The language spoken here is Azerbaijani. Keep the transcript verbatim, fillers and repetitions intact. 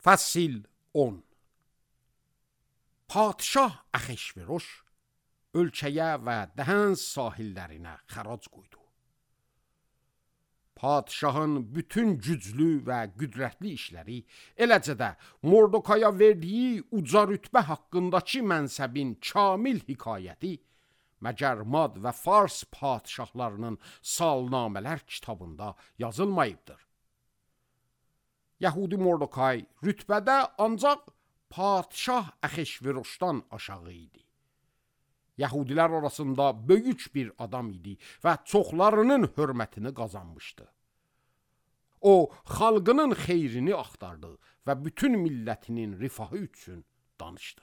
Fəsil on. Padşah Axeşveroş ölkəyə və Dəhəns sahillərinə xərac qoydu. Padşahın bütün güclü və qüdrətli işləri, eləcə də Mordokaya verdiyi uca rütbə haqqındakı mənsəbin kamil hekayəti məgər Mad və Fars padşahlarının salnamələr kitabında yazılmayıbdır. Yəhudi Mordokay rütbədə ancaq padşah Axeşveroşdan aşağı idi. Yəhudilər arasında böyük bir adam idi və çoxlarının hörmətini qazanmışdı. O, xalqının xeyrini axtardı və bütün millətinin rifahı üçün danışdı.